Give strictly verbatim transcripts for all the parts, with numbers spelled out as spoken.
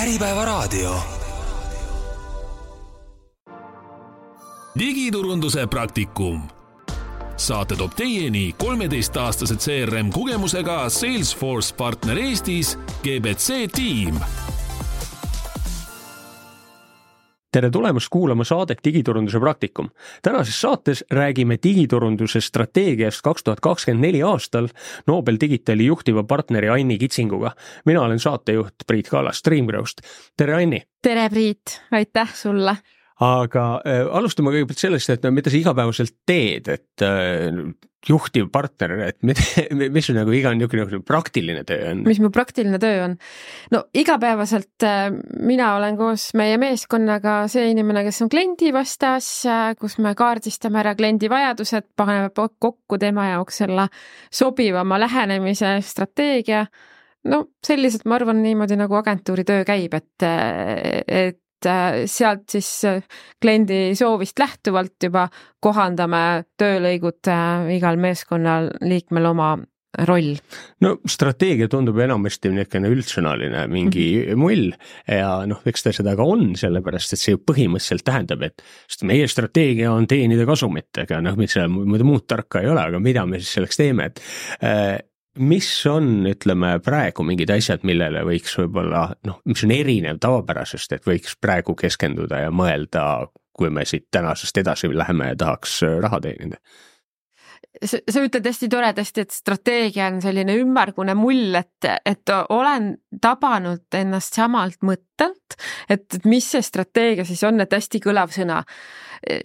Äripäevaraadio. Digiturunduse praktikum. Saate toob teieni kolmeteistaastased C R M kogemusega Salesforce partner Eestis G B C Team. Tere tulemast kuulama saadet Digiturunduse praktikum. Tänases saates räägime digiturunduse strateegiast kaks tuhat kakskümmend neli aastal Nobel Digitali juhtiva partneri Anni Kitsinguga. Mina olen saatejuht Priit Kallas Streamgrowst. Tere Anni! Tere Priit, aitäh sulle! Aga äh, alustame kõigepealt sellest, et no, mida sa igapäevaselt teed, et äh, juhtiv partner, et mida, mis on nagu iga niisugune praktiline töö on? Mis mu praktiline töö on? No igapäevaselt äh, mina olen koos meie meeskonnaga see inimene, kes on kliendi vastas, äh, kus me kaardistame ära kliendi vajadused, paneme kokku tema jaoks selle sobivama lähenemise strateegia. No selliselt ma arvan niimoodi nagu agentuuri töö käib, et, et sealt siis kliendi soovist lähtuvalt juba kohandame töölõigud igal meeskonnal liikmel oma roll. No strateegia tundub enamasti niisugune üldsõnaline mingi mm-hmm. mull ja noh, eks ta seda ka on, sellepärast et see ju põhimõtteliselt tähendab, et meie strateegia on teenida kasumit, ega noh, mis seal muud tarka ei ole, aga mida me siis selleks teeme, et äh, mis on, ütleme, praegu mingid asjad, millele võiks võib-olla, noh, mis on erinev tavapärasest, et võiks praegu keskenduda ja mõelda, kui me siit tänasest edasi läheme ja tahaks raha teenida? Sa, sa ütled hästi toredasti, et strateegia on selline ümmargune mull, et, et olen tabanud ennast samalt mõttelt, et, et mis see strateegia siis on, et hästi kõlav sõna.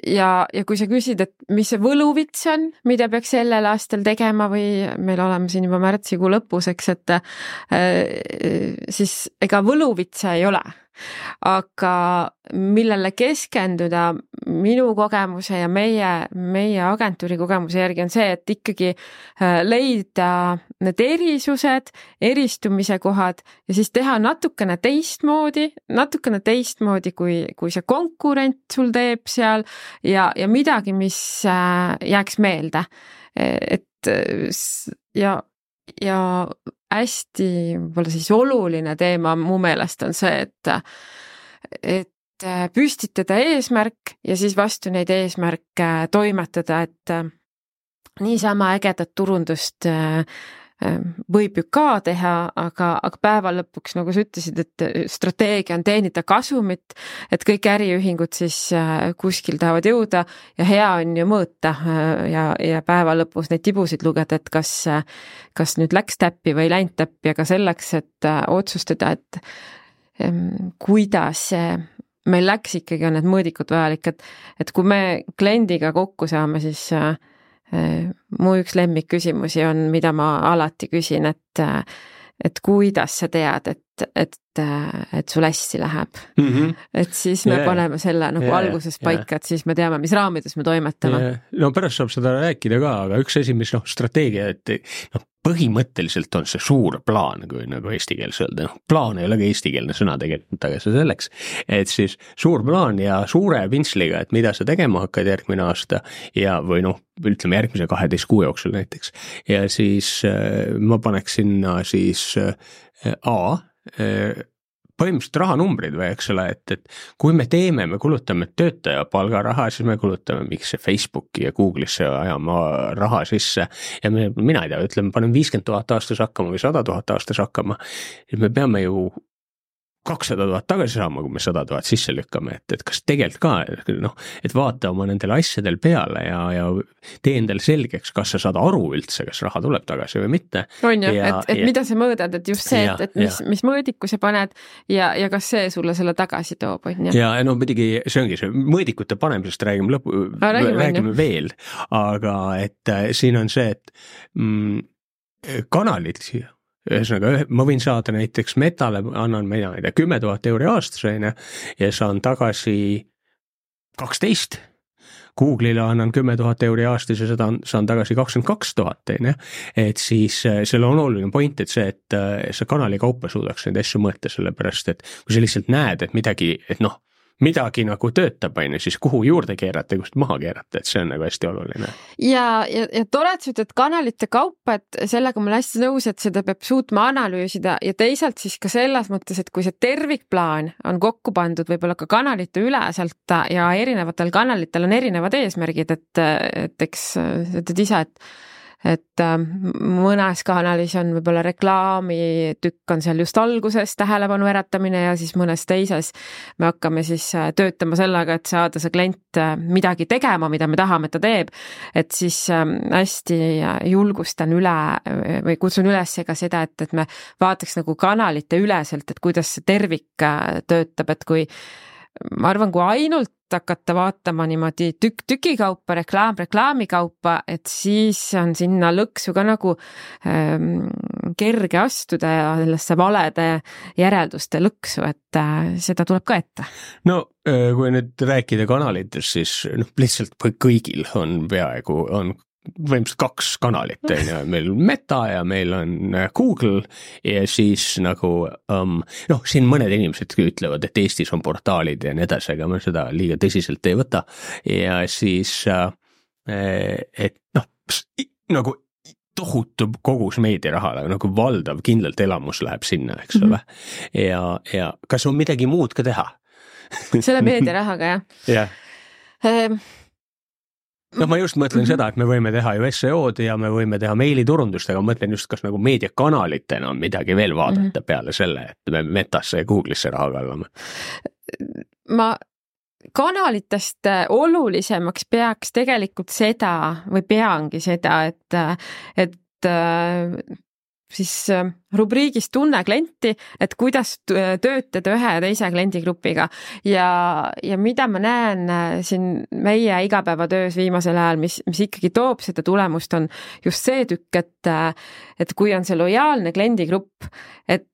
Ja, ja kui sa küsid, et mis see võluvits on, mida peaks sellel aastal tegema või meil oleme siin juba märtsikuu lõpus, eks, et äh, siis ega võluvitsa ei ole. Aga millele keskenduda minu kogemuse ja meie, meie agentuuri kogemuse järgi on see, et ikkagi leida need erisused, eristumise kohad ja siis teha natukene teistmoodi, natukene teistmoodi, kui, kui see konkurent sul teeb seal ja, ja midagi, mis jääks meelde. Et ja ja hästi võib-olla siis oluline teema mu meelest on see, et, et püstitada eesmärk ja siis vastu neid eesmärke toimetada, et niisama ägedat turundust võib ju ka teha, aga, aga päeva lõpuks, nagu sa ütlesid, et strateegia on teenida kasumit, et kõik äriühingud siis kuskil tahavad jõuda ja hea on ju mõõta ja, ja päeva lõpus neid tibusid lugeda, et kas, kas nüüd läks täppi või läinud täppi, aga selleks, et otsustada, et kuidas meil läks ikkagi on need mõõdikud vajalik, et, et kui me kliendiga kokku saame, siis mu üks lemmik küsimusi on, mida ma alati küsin, et, et kuidas sa tead, et, et, et sul hästi läheb. Mm-hmm. Et siis me yeah. paneme selle nagu yeah. alguses paika, yeah. et siis me teame, mis raamides me toimetame. Yeah. No pärast saab seda rääkida ka, aga üks asi, mis noh, strateegia, et noh, põhimõtteliselt on see suur plaan, kui nagu eesti keeles öelda. No, plaan ei ole ka eestikeelne sõna tegelikult, aga see selleks, et siis suur plaan ja suure pintsliga, et mida sa tegema hakkad järgmine aasta ja või noh, ütleme järgmise kaheteist kuu jooksul näiteks. Ja siis äh, ma paneks sinna siis äh, A, äh, põhimõtteliselt rahanumbrid või eks ole, et, et kui me teeme, me kulutame töötaja palgaraha, siis me kulutame miks see Facebooki ja Google'isse ajama raha sisse ja me, mina ei tea, ütleme, panen viiskümmend tuhat aastas hakkama või sada tuhat aastas hakkama, me peame ju kakssada tuhat tagasi saama, kui me sada tuhat sisse lükkame, et, et kas tegelikult ka, noh, et vaata oma nendel asjadel peale ja, ja tee endale selgeks, kas sa saad aru üldse, kas raha tuleb tagasi või mitte. On ju, et, et ja, mida sa mõõdad, et just see, ja, et, et mis, mis mõõdiku sa paned ja, ja kas see sulle selle tagasi toob, on ju? Ja no midagi, see ongi see, mõõdikute panemisest räägime lõpu, A, räägime, räägime veel, aga et äh, siin on see, et mm, kanalid siia, ühesõnaga, ma võin saada näiteks Metale, annan mina ei tea, kümme tuhat euri aastasena ja saan tagasi kaksteist. Google'ile annan kümme tuhat euri aastas ja seda saan tagasi kakskümmend kaks tuhat, et siis selle on oluline point, et see, et sa kanali kaupa suudaks neid asju mõõta, sellepärast, et kui sa lihtsalt näed, et midagi, et noh, midagi nagu töötab, on ju, siis kuhu juurde keerata ja kust maha keerata, et see on nagu hästi oluline. Ja, ja, ja tore, et sa ütled kanalite kaupa, et sellega ma olen hästi nõus, et seda peab suutma analüüsida ja teisalt siis ka selles mõttes, et kui see tervikplaan on kokku pandud võib-olla ka kanalite üleselt ja erinevatel kanalitel on erinevad eesmärgid, et, et eks tead ise, et et mõnes kanalis on võib-olla reklaamitükk on seal just alguses tähelepanu äratamine ja siis mõnes teises me hakkame siis töötama sellega, et saada see klient midagi tegema, mida me tahame, et ta teeb, et siis hästi julgustan üle või kutsun üles ka seda, et, et me vaataks nagu kanalite üleselt, et kuidas see tervik töötab, et kui ma arvan, kui ainult hakata vaatama niimoodi tükk tüki kaupa, reklaam reklaami kaupa, et siis on sinna lõksu ka nagu ähm, kerge astuda ja sellesse valede järelduste lõksu, et äh, seda tuleb ka ette. No kui nüüd rääkida kanalitest, siis noh, lihtsalt kõigil on peaaegu, on võimsalt kaks kanalit, on ju, meil on Meta ja meil on Google ja siis nagu um, noh, siin mõned inimesed ütlevad, et Eestis on portaalid ja nii edasi, aga ma seda liiga tõsiselt ei võta ja siis uh, et noh, nagu tohutu kogus meediaraha, nagu valdav kindlalt elamus läheb sinna, eks ole, mm-hmm. ja, ja kas on midagi muud ka teha? Selle meediarahaga, jah? jah. Um... No ma just mõtlen seda, et me võime teha ju S E O-d ja me võime teha meiliturundust, aga ma mõtlen just, kas nagu meediakanalitena on midagi veel vaadata mm-hmm. peale selle, et me Metasse ja Google'isse raha kallame. Ma kanalitest olulisemaks peaks tegelikult seda või peangi seda, et, et siis rubriigis tunne klienti, et kuidas töötada ühe ja teise kliendigrupiga ja, ja mida ma näen siin meie igapäevatöös viimasel ajal, mis, mis ikkagi toob seda tulemust, on just see tükk, et, et kui on see lojaalne kliendigrupp, et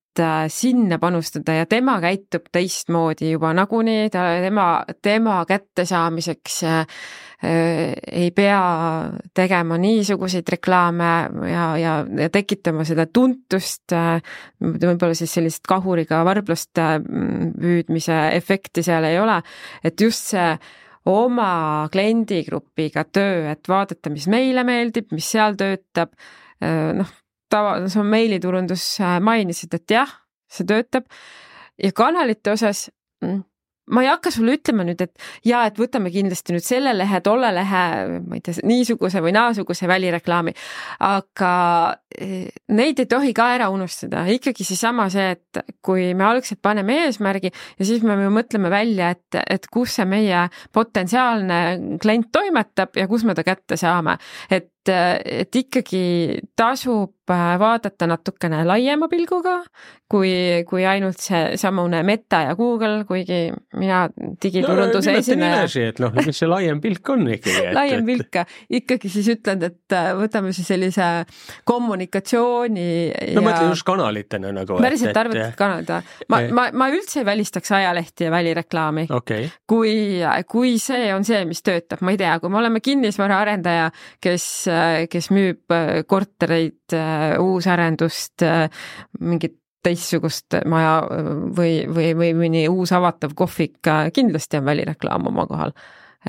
sinna panustada ja tema käitub teistmoodi juba nagunii, ta, tema, tema kättesaamiseks äh, ei pea tegema niisuguseid reklaame ja, ja, ja tekitama seda tuntust, äh, võib-olla siis sellist kahuriga varblast äh, püüdmise efekti seal ei ole, et just see oma kliendigrupiga töö, et vaadata, mis meile meeldib, mis seal töötab, äh, noh, tava, sa meiliturundus mainisid, et jah, see töötab ja kanalite osas ma ei hakka sulle ütlema nüüd, et jaa, et võtame kindlasti nüüd selle lehe, tolle lehe, ma ei tea, niisuguse või naasuguse välireklaami, aga neid ei tohi ka ära unustada. Ikkagi see sama see, et kui me algselt paneme eesmärgi ja siis me mõtleme välja, et, et kus see meie potentsiaalne klient toimetab ja kus me ta kätte saame. Et, et ikkagi tasub vaadata natukene laiema pilguga, kui, kui ainult see samune Meta ja Google, kuigi mina digiturunduse no, esineja. Et noh, mis see laiem pilk on ikkagi? Et, laiem pilk, ikkagi siis ütlen, et võtame siis sellise kommunikatsiooni no ja... mõtlen just kanalitena nagu. Päriselt et, arvad, et kanalid. Ma, ma, ma üldse ei välistaks ajalehti ja välireklaami. Okay. Kui, kui see on see, mis töötab, ma ei tea, kui me oleme kinnisvara arendaja, kes, kes müüb kortereid, uusarendust, mingit teistsugust maja või, või, või mõni uus avatav kohvik, kindlasti on välireklaam oma kohal.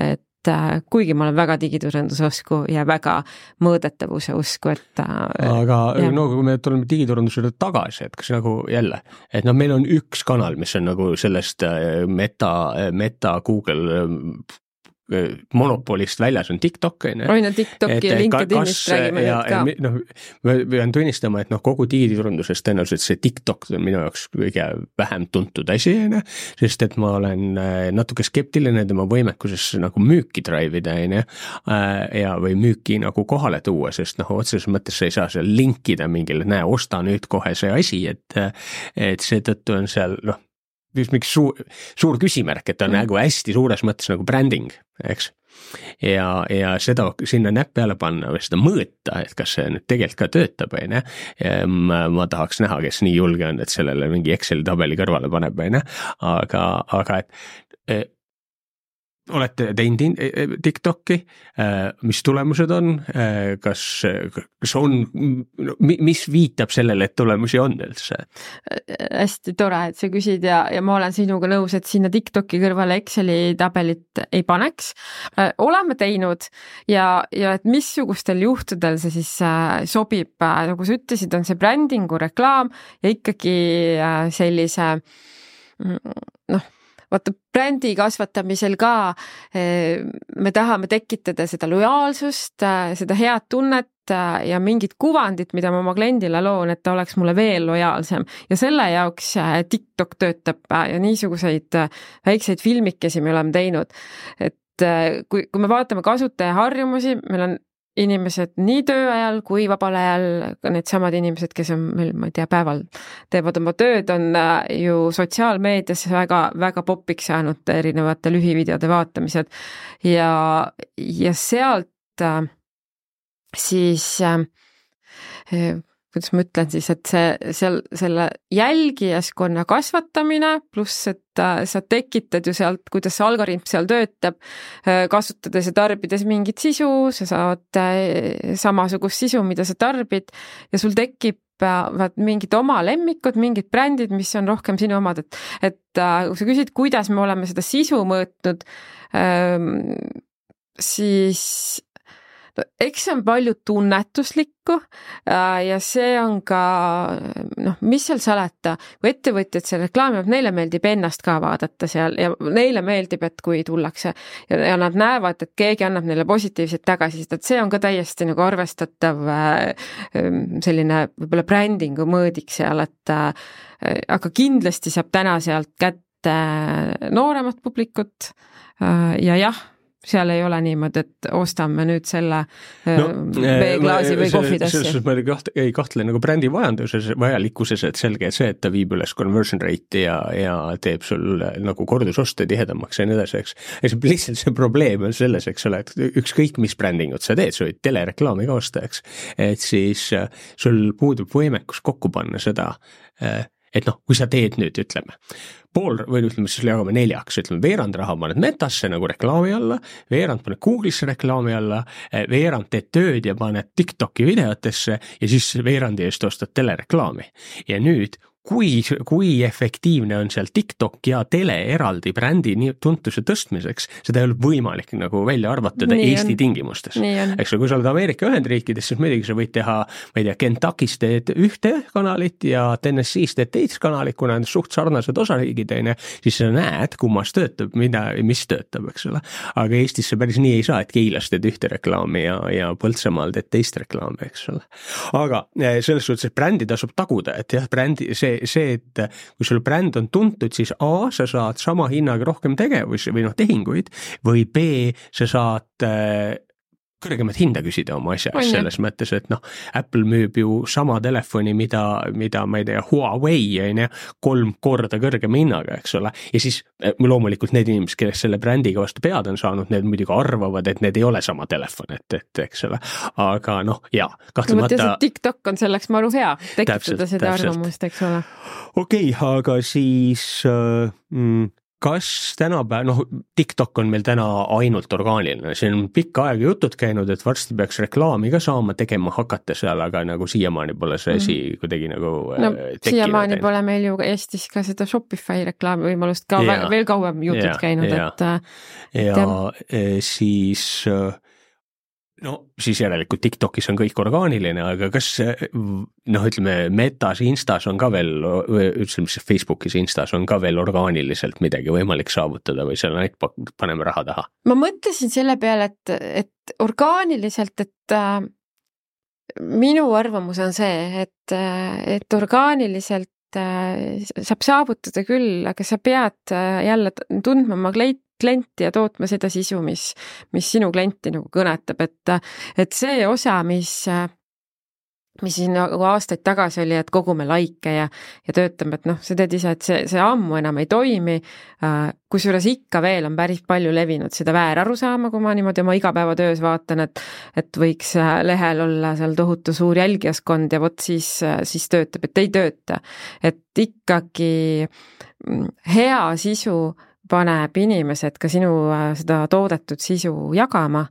Et kuigi ma olen väga digiturunduse usku ja väga mõõdetavuse usku, et aga ja. No kui me tuleme digiturundusele tagasi, et kas nagu jälle, et noh, meil on üks kanal, mis on nagu sellest Meta, Meta, Google monopolist väljas on TikTok. Oi, no TikToki ja LinkedInist räägime ja, nüüd ka. Ja, no, ma pean tunnistama, et noh, kogu digiturunduses tõenäoliselt see TikTok on minu jaoks kõige vähem tuntud asi, sest et ma olen natuke skeptiline tema võimekuses nagu müüki drive'ida ja või müüki nagu kohale tuua, sest noh, otseses mõttes sa ei saa seal linkida mingile, näe, osta nüüd kohe see asi, et, et seetõttu on seal noh, mingi suur, suur küsimärk, et on mm. nagu hästi suures mõttes nagu branding, eks. Ja, ja seda sinna näpp peale panna või seda mõõta, et kas see nüüd tegelikult ka töötab, või ne? Ma, ma tahaks näha, kes nii julge on, et sellele mingi Exceli tabeli kõrvale paneb, või ne? Aga, aga et olete teinud TikTok'i, mis tulemused on, kas, kas on, mis viitab sellele, et tulemusi on üldse? Hästi tore, et sa küsid ja, ja ma olen sinuga nõus, et sinna TikTok'i kõrvale Exceli tabelit ei paneks. Oleme teinud ja, ja et missugustel juhtudel see siis sobib, nagu sa ütlesid, on see brändingu reklaam ja ikkagi sellise noh, vaata brändi kasvatamisel ka me tahame tekitada seda lojaalsust, seda head tunnet ja mingit kuvandit, mida ma oma kliendile loon, et ta oleks mulle veel lojaalsem ja selle jaoks TikTok töötab ja niisuguseid väikseid filmikesi me oleme teinud, et kui, kui me vaatame kasutaja harjumusi, meil on inimesed nii töö ajal kui vabal ajal, ka need samad inimesed, kes on meil, ma ei tea, päeval teevad oma tööd, on ju sotsiaalmeedias väga, väga popiks saanud erinevate lühivideode vaatamised ja, ja sealt siis kuidas ma ütlen siis, et see, seal, selle jälgijaskonna kasvatamine, pluss, et sa tekitad ju sealt, kuidas see algoritm seal töötab, kasutades ja tarbides mingit sisu, sa saad samasugust sisu, mida sa tarbid ja sul tekib vaat mingid oma lemmikud, mingid brändid, mis on rohkem sinu omad, et, et kui sa küsid, kuidas me oleme seda sisu mõõtnud, siis no, eks see on palju tunnetuslikku ja see on ka, noh, mis seal salata, kui ettevõtjad seal reklaamivad, neile meeldib ennast ka vaadata seal ja neile meeldib, et kui tullakse ja, ja nad näevad, et keegi annab neile positiivset tagasisidet, et see on ka täiesti nagu arvestatav selline võib-olla brändingu mõõdik seal, et aga kindlasti saab täna sealt kätte nooremat publikut ja jah, seal ei ole niimoodi, et ostame nüüd selle no, veeklaasi või kohvitassi. Selles ma ei kahtle nagu brändi vajanduses, vajalikkuses, et selge see, et ta viib üles conversion rate'i ja, ja teeb sul nagu kordusoste tihedamaks ja nii edasi, eks. Ja see lihtsalt see probleem on selles, eks ole, et ükskõik mis brändingut sa teed, sa võid telereklaami ka osta, eks. Et siis sul puudub võimekus kokku panna seda, et noh, kui sa teed nüüd, ütleme, pool, või ütleme, siis jagame neljaks, ütleme, veerand raha paned Metasse nagu reklaami alla, veerand paned Google'isse reklaami alla, veerand teed tööd ja paned TikToki videotesse ja siis veerandi eest ostad telereklaami. Ja nüüd, kui, kui efektiivne on seal TikTok ja tele eraldi brändi nii tuntuse tõstmiseks, seda ei ole võimalik nagu välja arvatada nii Eesti on. Tingimustes. Eks kui sa oled Ameerika Ühendriikides, siis muidugi sa võid teha, ma ei tea, Kentuckis teed ühte kanalit ja Tennessee's teed teist kanalit, kuna on suht sarnased osariigid, siis sa näed, kummas töötab, mida, mis töötab, eks ole. Aga Eestis see päris nii ei saa, et Keilas teed ühte reklaami ja, ja Põltsamaal teed teist reklaami, eks ole. Aga selles suhtes, et brändi tasub taguda, et jah, brändi, see see, et kui sul bränd on tuntud, siis A, sa saad sama hinnaga rohkem tegevusi või noh, tehinguid, või B, sa saad kõrgemat hinda küsida oma asja, selles mõttes, et noh, Apple müüb ju sama telefoni, mida, mida ma ei tea, Huawei on ja kolm korda kõrgema hinnaga, eks ole. Ja siis loomulikult need inimesed, kes selle brändiga vastu pead on saanud, need muidugi arvavad, et need ei ole sama telefon, et, et eks ole. Aga noh, jaa, kahtlemata. No, TikTok on selleks maru hea, tekitada täpselt, seda täpselt. Arvamust, eks ole. Okei, okay, aga siis mm, kas tänapäev, noh, TikTok on meil täna ainult orgaaniline, see on pikka aega jutud käinud, et varsti peaks reklaami ka saama tegema hakata seal, aga nagu siiamaani pole see asi mm. kuidagi nagu no, siiamaani tein. Pole meil ju Eestis ka seda Shopify reklaami võimalust ka ja, veel kauem jutud ja, käinud, ja, et ja, ja siis no siis järelikult TikTokis on kõik orgaaniline, aga kas noh, ütleme Metas, Instas on ka veel, ütleme siis Facebookis, Instas on ka veel orgaaniliselt midagi võimalik saavutada või seal ainult paneme raha taha? Ma mõtlesin selle peale, et, et orgaaniliselt, et äh, minu arvamus on see, et, et orgaaniliselt äh, saab saavutada küll, aga sa pead äh, jälle tundma oma kleit klienti ja tootma seda sisu, mis, mis sinu klienti nagu kõnetab, et, et see osa, mis, mis siin nagu aastaid tagasi oli, et kogume laike ja, ja töötame, et noh, sa tead ise, et see, see ammu enam ei toimi, kusjuures ikka veel on päris palju levinud seda vääraru saama, kui ma niimoodi oma igapäevatöös vaatan, et, et võiks lehel olla seal tohutu suur jälgijaskond ja vot siis, siis töötab, et ei tööta. Et ikkagi hea sisu paneb inimesed ka sinu seda toodetud sisu jagama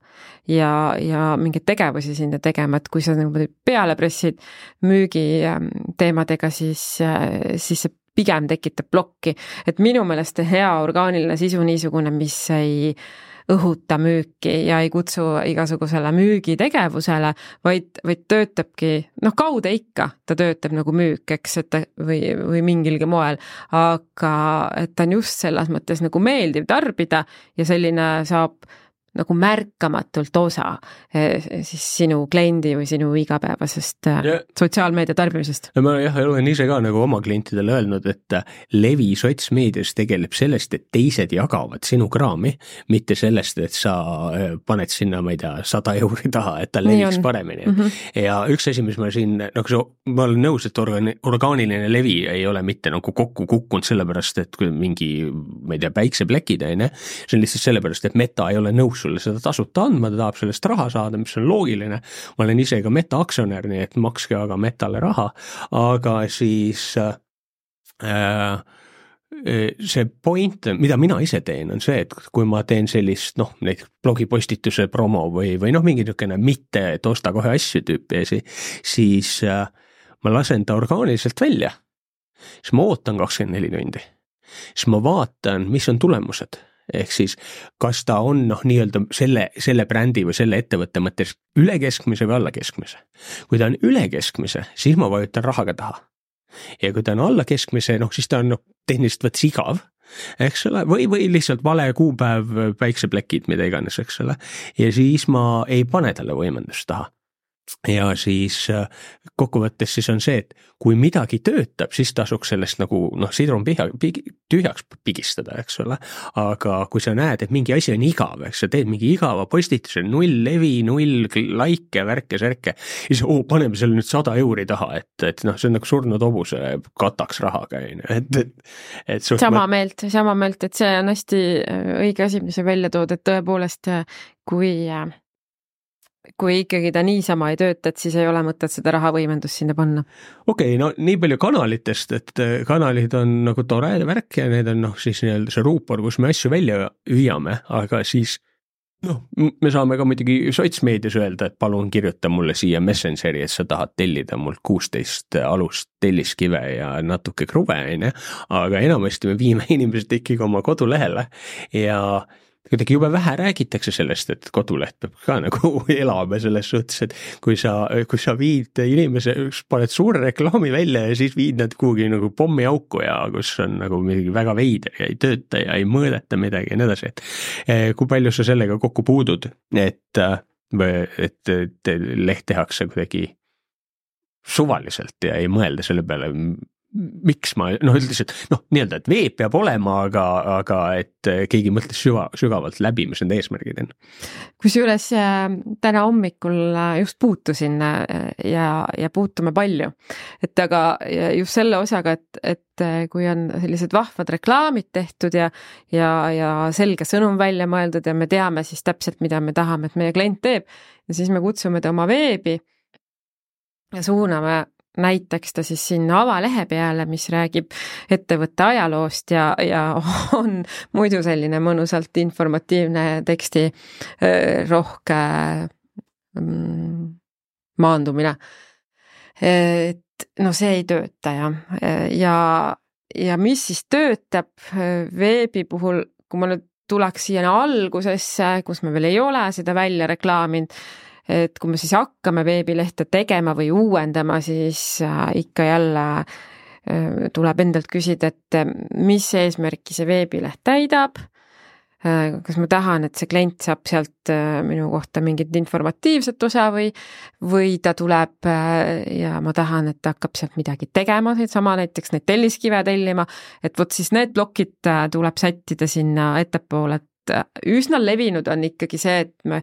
ja, ja mingeid tegevusi sinna tegema, et kui sa nagu peale pressid müügi teemadega, siis, siis see pigem tekitab plokki, et minu meelest hea orgaaniline sisu niisugune, mis ei õhuta müüki ja ei kutsu igasugusele müügitegevusele, vaid, vaid töötabki, noh kaude ikka, ta töötab nagu müük, eks, et ta, või, või mingilgi moel, aga et ta on just selles mõttes nagu meeldiv tarbida ja selline saab nagu märkamatult osa siis sinu kliendi või sinu igapäevasest ja, sotsiaalmeedia tarbimisest. Ma jah, olen ise ka nagu oma klientidele öelnud, et levi sotsmeedias tegeleb sellest, et teised jagavad sinu kraami, mitte sellest, et sa paned sinna, ma ei tea, sada euri taha, et ta leviks paremini. Mm-hmm. Ja üks asi, mis ma siin, nagu ma olen nõus, et organi, orgaaniline levi ei ole mitte nagu kokku kukkunud sellepärast, et kui mingi, ma ei tea, päikseplekid, see on lihtsalt sellepärast, et Meta ei ole nõus sulle seda tasuta andma, ta tahab sellest raha saada, mis on loogiline. Ma olen ise ka Meta aktsionär, nii et makske aga Metale raha, aga siis äh, see point, mida mina ise teen, on see, et kui ma teen sellist, noh, neid blogipostituse promo või, või noh, mingi niisugune mitte, et osta kohe asju tüüpi esi, siis äh, ma lasen ta orgaaniliselt välja. Siis ma ootan kakskümmend neli tundi. Siis ma vaatan, mis on tulemused. Ehk siis, kas ta on noh, nii-öelda selle, selle brändi või selle ettevõtte mõttes üle keskmise või alla keskmise. Kui ta on üle keskmise, siis ma vajutan rahaga taha. Ja kui ta on alla keskmise, noh, siis ta on noh, tehniliselt võttes igav, eks ole, või, või lihtsalt vale kuupäev, päikseplekid, mida iganes, eks ole. Ja siis ma ei pane talle võimendust taha. Ja siis kokkuvõttes siis on see, et kui midagi töötab, siis tasuks sellest nagu noh, sidrun pihja, pigi, tühjaks pigistada, eks ole, aga kui sa näed, et mingi asi on igav, eks sa teed mingi igava postituse, null levi, null laike, värke, särke, siis oo, paneme selle nüüd sada euri taha, et, et noh, see on nagu surnud hobuse kataks rahaga, et, et, et sama ma... meelt, sama meelt, et see on hästi õige asi, mis sa välja tood, et tõepoolest, kui kui ikkagi ta niisama ei tööta, et siis ei ole mõtet seda rahavõimendust sinna panna. Okei, okay, no nii palju kanalitest, et kanalid on nagu tore värk ja need on noh, siis nii-öelda see ruupor, kus me asju välja hüüame, aga siis noh, me saame ka muidugi sotsmeedias öelda, et palun kirjuta mulle siia Messengeri, et sa tahad tellida mult kuusteist alust telliskive ja natuke kruve, aga enamasti me viime inimesed ikkagi oma kodulehele ja kuidagi juba vähe räägitakse sellest, et koduleht peab ka nagu elama selles suhtes, et kui sa, kui sa viid inimese, paned suure reklaami välja ja siis viid nad kuhugi nagu pommiauku ja kus on nagu midagi väga veider ja ei tööta ja ei mõõdeta midagi ja nii edasi, et kui palju sa sellega kokku puudud, et, et, et leht tehakse kuidagi suvaliselt ja ei mõelda selle peale, miks ma, noh üldiselt, noh nii-öelda, et veeb peab olema, aga, aga et keegi mõtles süva, sügavalt läbi, mis need eesmärgid on. Kusjuures täna hommikul just puutusin ja, ja puutume palju, et aga just selle osaga, et, et kui on sellised vahvad reklaamid tehtud ja, ja, ja selge sõnum välja mõeldud ja me teame siis täpselt, mida me tahame, et meie klient teeb ja siis me kutsume ta oma veebi ja suuname näiteks ta siis sinna avalehe peale, mis räägib ettevõtte ajaloost ja, ja on muidu selline mõnusalt informatiivne teksti rohke maandumine. Et no see ei tööta ja, ja, ja mis siis töötab veebi puhul, kui ma nüüd tuleks siia algusesse, kus me veel ei ole seda välja reklaaminud, et kui me siis hakkame veebilehte tegema või uuendama, siis ikka jälle tuleb endalt küsida, et mis eesmärki see veebileht täidab, kas ma tahan, et see klient saab sealt minu kohta mingit informatiivset osa või, või ta tuleb ja ma tahan, et ta hakkab sealt midagi tegema, sama näiteks neid telliskive tellima, et vot siis need plokid tuleb sättida sinna ettepoole, üsna levinud on ikkagi see, et me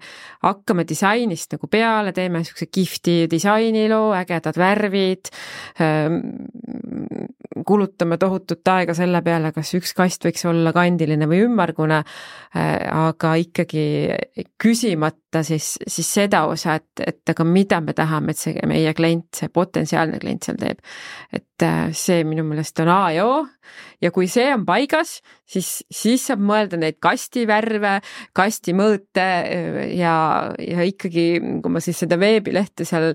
hakkame disainist nagu peale, teeme niisuguse kihvti disainiloo, ägedad värvid, kulutame tohutut aega selle peale, kas üks kast võiks olla kandiline või ümmargune, aga ikkagi küsimata siis, siis seda osa, et, et aga mida me tahame, et see meie klient, see potentsiaalne klient seal teeb. Et see minu meelest on A ja O ja kui see on paigas, siis, siis saab mõelda neid kastivärve, kastimõõte ja, ja ikkagi, kui ma siis seda veebilehte seal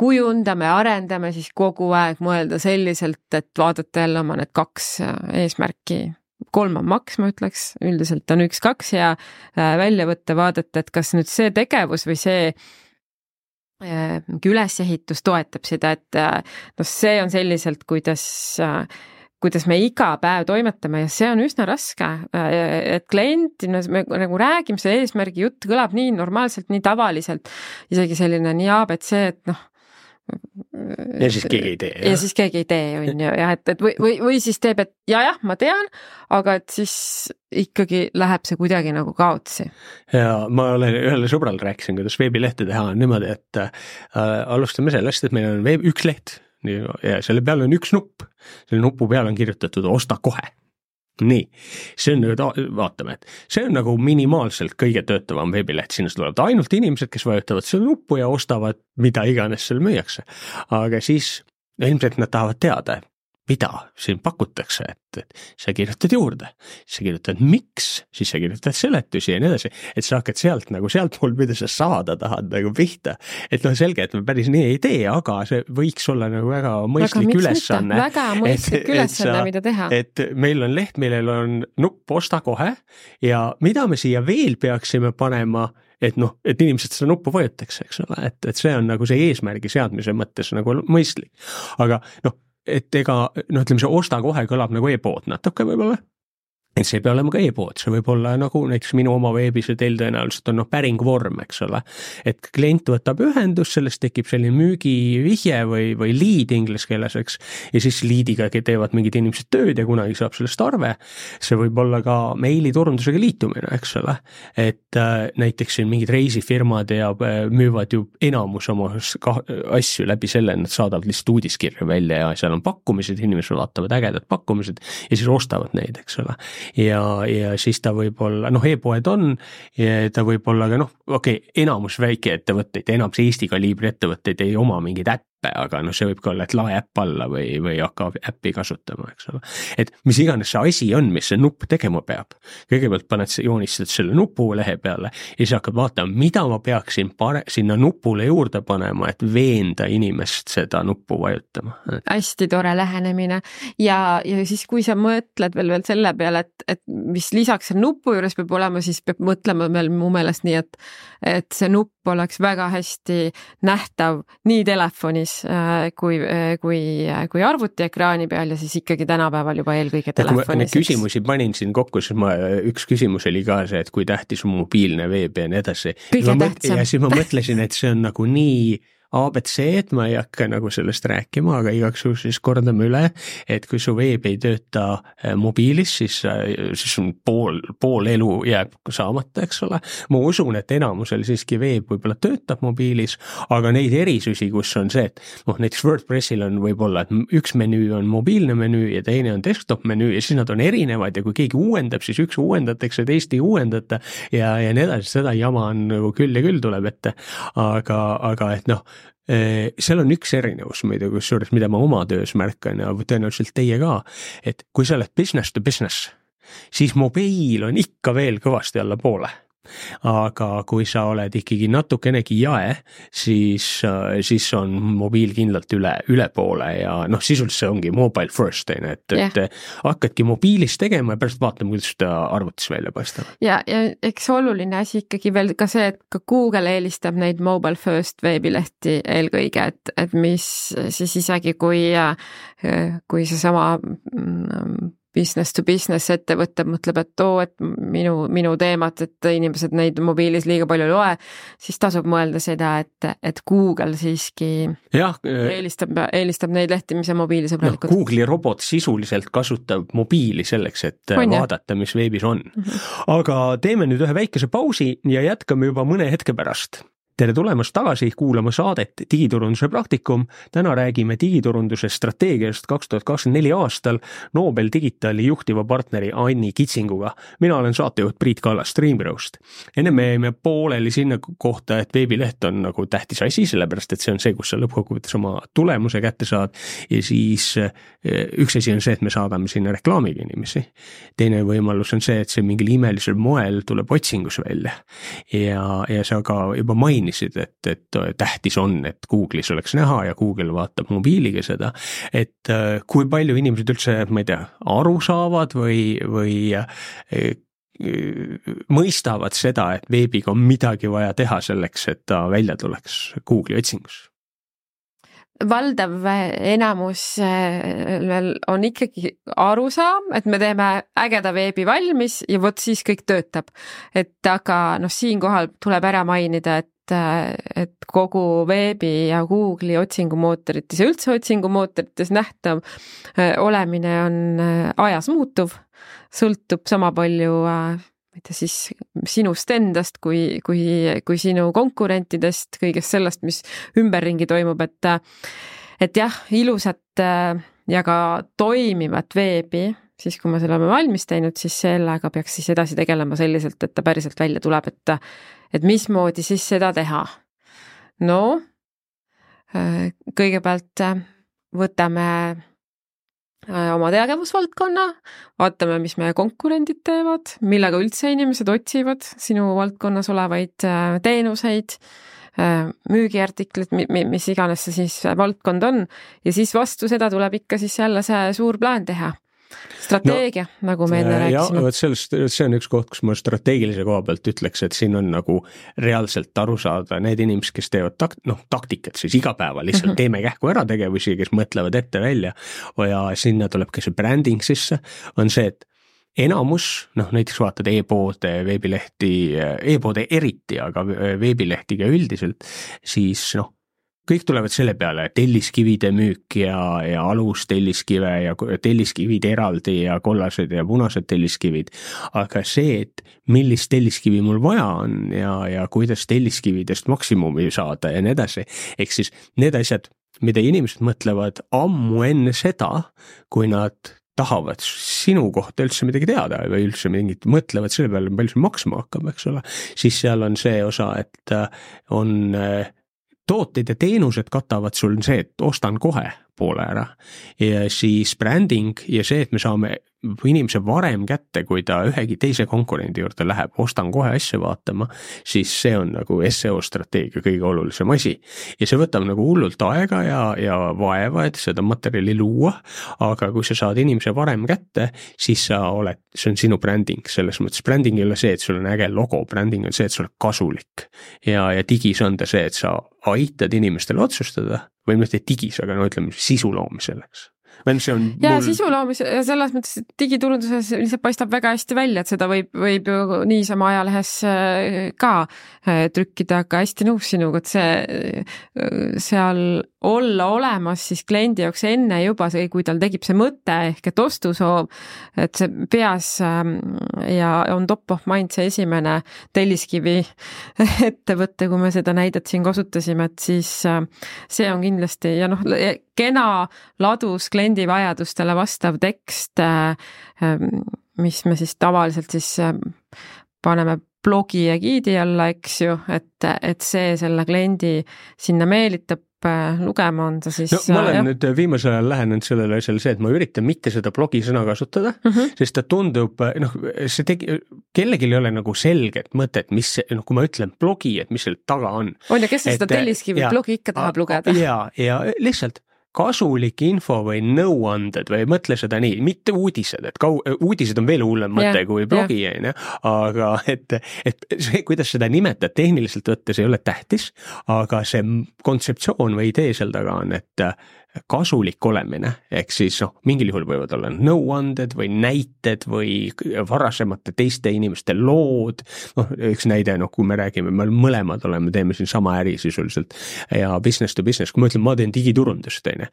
kujundame, arendame, siis kogu aeg mõelda selliselt, et vaadata jälle oma need kaks eesmärki. Kolm on maks, ma ütleks, üldiselt on üks, kaks ja välja võtta, vaadata, et kas nüüd see tegevus või see ülesehitus toetab seda, et no see on selliselt, kuidas, kuidas me iga päev toimetame ja see on üsna raske, et klient, me nagu räägime, see eesmärgi jutt kõlab nii normaalselt, nii tavaliselt, isegi selline nii A B C, et noh, ja siis keegi ei tee. Ja, ja siis keegi ei tee, on ju, ja et, et või, või, või siis teeb, et ja, jah, ma tean, aga et siis ikkagi läheb see kuidagi nagu kaotsi. Ja ma olen ühele sõbral rääkisin, kuidas veebilehte teha on niimoodi, et äh, alustame sellest, et meil on veeb, üks leht ja selle peal on üks nupp. Selle nupu peal on kirjutatud osta kohe. Nii, see on, vaatame, et see on nagu minimaalselt kõige töötavam veebileht, sinna tulevad ainult inimesed, kes vajutavad selle nuppu ja ostavad mida iganes seal müüakse. Aga siis ilmselt nad tahavad teada, mida siin pakutakse, et, et sa kirjutad juurde, sa kirjutad miks, siis sa kirjutad seletusi ja nii edasi, et sa hakkad sealt nagu sealt mul, mida sa saada tahad nagu pihta. Et noh, selge, et me päris nii ei tee, aga see võiks olla nagu väga mõistlik ülesanne. Väga mõistlik et, ülesanne, et, mida teha. Et meil on leht, millel on nupp osta kohe ja mida me siia veel peaksime panema, et noh, et inimesed seda nuppu vajutaks, eks ole, et, et see on nagu see eesmärgi seadmise mõttes nagu mõistlik. Aga noh, et ega, noh, ütleme, see osta kohe kõlab nagu e-pood natuke võib-olla, et see ei pea olema ka e-pood, see võib olla nagu näiteks minu oma veebis ja teil tõenäoliselt on noh, päringvorm, eks ole, et klient võtab ühendus, sellest tekib selline müügivihje või, või lead inglise keeles, eks, ja siis leadiga teevad mingid inimesed tööd ja kunagi saab sellest arve, see võib olla ka meiliturundusega liitumine, eks ole, et äh, näiteks siin mingid reisifirmad ja äh, müüvad ju enamus oma asju läbi selle, nad saadavad lihtsalt uudiskirja välja ja seal on pakkumised, inimesed vaatavad ägedad pakkumised ja siis ostavad neid, eks ole. Ja, ja siis ta võib olla, noh, e-poed on ja ta võib olla ka, noh, okei, okay, enamus väike ettevõtteid, enamus Eesti kaliibri ettevõtteid ei oma mingid äppe, aga noh, see võib ka olla, et lae äpp alla või, või hakka äppi kasutama, eks ole. Et mis iganes see asi on, mis see nupp tegema peab. Kõigepealt paned, joonistad selle nupu lehe peale ja siis hakkad vaatama, mida ma peaksin pare, sinna nupule juurde panema, et veenda inimest seda nuppu vajutama. Hästi tore lähenemine ja, ja siis kui sa mõtled veel, veel selle peale, et, et mis lisaks selle nupu juures peab olema, siis peab mõtlema veel mu meelest nii, et, et see nupp oleks väga hästi nähtav nii telefonis kui, kui, kui arvuti ekraani peal ja siis ikkagi tänapäeval juba eelkõige telefonis. Küsimusi panin siin kokku, siis ma, üks küsimus oli ka see, et kui tähtis on mobiilne veeb ja nii edasi. Kõige tähtsam. Ja siis ma mõtlesin, et see on nagu nii A B C, et ma ei hakka nagu sellest rääkima, aga igaks juhul siis kordame üle, et kui su veeb ei tööta mobiilis, siis, siis on pool, pool elu jääb saamata, eks ole. Ma usun, et enamusel siiski veeb võib-olla töötab mobiilis, aga neid erisusi, kus on see, et noh, näiteks WordPressil on võib-olla, et üks menüü on mobiilne menüü ja teine on desktop menüü ja siis nad on erinevad ja kui keegi uuendab, siis üks uuendatakse, teist ei uuendata ja, ja nii edasi, seda jama on nagu küll ja küll tuleb ette, aga, aga et noh, seal on üks erinevus, kusjuures, mida ma oma töös märkan ja tõenäoliselt teie ka, et kui sa oled business to business, siis mobiil on ikka veel kõvasti alla poole. Aga kui sa oled ikkagi natukenegi jae, siis, siis on mobiil kindlalt üle, üle poole ja noh, sisuliselt see ongi mobile first, et, yeah. et hakkadki mobiilis tegema ja pärast vaatama, kuidas seda arvutis välja paistab. Ja, ja eks oluline asi ikkagi veel ka see, et ka Google eelistab neid mobile first veebilehti eelkõige, et, et mis siis isegi kui, kui see sama business to business ettevõte mõtleb, et oo, et minu, minu teemat, et inimesed neid mobiilis liiga palju loe, siis tasub mõelda seda, et, et Google siiski jah, eelistab, eelistab neid lehti, mis on mobiilisõbralikud. No, Google'i robot sisuliselt kasutab mobiili selleks, et on, vaadata, mis veebis on. Mm-hmm. Aga teeme nüüd ühe väikese pausi ja jätkame juba mõne hetke pärast. tere tulemast tagasi kuulama saadet Digiturunduse praktikum. Täna räägime digiturunduse strateegiast kaks tuhat kakskümmend neli aastal Nobel Digitali juhtiva partneri Anni Kitsinguga. Mina olen saatejuht Priit Kallas Streamgrowst. Enne me jäime pooleli sinna kohta, et veebileht on nagu tähtis asi, sellepärast et see on see, kus sa lõppkokkuvõttes oma tulemuse kätte saad ja siis üks asi on see, et me saadame sinna reklaamiga inimesi. Teine võimalus on see, et see mingil imelisel moel tuleb otsingus välja ja, ja sa ka juba mainisid, et, et tähtis on, et Google'is oleks näha ja Google vaatab mobiiliga seda, et kui palju inimesed üldse, ma ei tea, aru saavad või, või mõistavad seda, et veebiga on midagi vaja teha selleks, et ta välja tuleks Google'i otsingus. Valdav enamus on ikkagi arusaam, et me teeme ägeda veebi valmis ja vot siis kõik töötab. Et aga noh, siinkohal tuleb ära mainida, et et kogu veebi ja Google'i otsingumootorites ja üldse otsingumootorites nähtav olemine on ajas muutuv, sõltub sama palju mitte siis sinust endast kui, kui, kui sinu konkurentidest, kõigest sellest, mis ümberringi toimub, et, et jah, ilusat ja ka toimivat veebi, siis kui me selle oleme valmis teinud, siis sellega peaks siis edasi tegelema selliselt, et ta päriselt välja tuleb, et, et mismoodi siis seda teha. No, kõigepealt võtame oma tegevusvaldkonna, vaatame, mis meie konkurendid teevad, millega üldse inimesed otsivad sinu valdkonnas olevaid teenuseid, müügiartiklit, mis iganes see siis valdkond on ja siis vastu seda tuleb ikka siis jälle see suur plaan teha. Strateegia, no, nagu me enne rääkisime. Ja, sellest, see on üks koht, kus ma strateegilise koha pealt ütleks, et siin on nagu reaalselt aru saada need inimesed, kes teevad takt, no, taktikat, siis iga päeva lihtsalt mm-hmm. teeme kähku ära tegevusi, kes mõtlevad ette välja ja sinna tuleb ka see branding sisse, on see, et enamus, noh näiteks vaatad e-poode, veebilehti, e-poode eriti, aga veebilehtiga üldiselt, siis noh, kõik tulevad selle peale, telliskivide müük ja, ja alus telliskive ja telliskivid eraldi ja kollased ja punased telliskivid. Aga see, et millist telliskivi mul vaja on ja, ja kuidas telliskividest maksimumi saada ja nii edasi. Ehk siis need asjad, mida inimesed mõtlevad ammu enne seda, kui nad tahavad sinu kohta üldse midagi teada või üldse mingit mõtlevad selle peale, palju see maksma hakkab, eks ole. Siis seal on see osa, et on tooted ja teenused katavad sul see, et ostan kohe poole ära ja siis branding ja see, et me saame inimese varem kätte, kui ta ühegi teise konkurendi juurde läheb, ostan kohe asja vaatama, siis see on nagu S E O strateegia kõige olulisem asi. Ja see võtab nagu hullult aega ja, ja vaeva, et seda materjali luua, aga kui sa saad inimese varem kätte, siis sa oled, see on sinu branding, selles mõttes branding ei ole see, et sul on äge logo, branding on see, et sul on kasulik ja, ja digis on ta see, et sa aitad inimestele otsustada või mitte digis, aga no ütleme sisu loomiselleks. See on ja mul... sisu loomis ja selles mõttes, et digiturunduses lihtsalt paistab väga hästi välja, et seda võib, võib ju niisama ajalehes ka trükkida, aga hästi nõus sinuga, et see seal olla olemas siis kliendi jaoks enne juba see, kui tal tegib see mõte ehk et ostusoov, et see peas ja on top of mind see esimene telliskivi ettevõtte, kui me seda näidet siin kasutasime, et siis see on kindlasti ja noh, kena ladus kliendi vajadustele vastav tekst, mis me siis tavaliselt siis paneme blogi ja giidi alla, eks ju, et, et see selle kliendi sinna meelitab lugema on ta siis... No, ma olen jah. nüüd viimasel ajal lähenenud sellele asjale see, et ma üritan mitte seda blogi sõna kasutada, mm-hmm. sest ta tundub, noh, see tegi, kellelgi ei ole nagu selget mõtet, mis, noh, kui ma ütlen blogi, et mis selle taga on. On ja kes et, seda telliskivi blogi ikka tahab lugeda? Ja, ja lihtsalt kasulik info või nõuanded või mõtle seda nii, mitte uudised, et kau, uudised on veel hullem mõte yeah, kui blogi, yeah. aga et, et see, kuidas seda nimetad tehniliselt võttes ei ole tähtis, aga see kontseptsioon või idee seal taga on, et kasulik olemine, ehk siis noh, mingil juhul võivad olla nõuanded või näited või varasemate teiste inimeste lood, noh, üks näide, noh, kui me räägime, me mõlemad oleme, teeme siin sama äri sisuliselt ja business to business, kui ma ütlen, ma teen digiturundust, teine,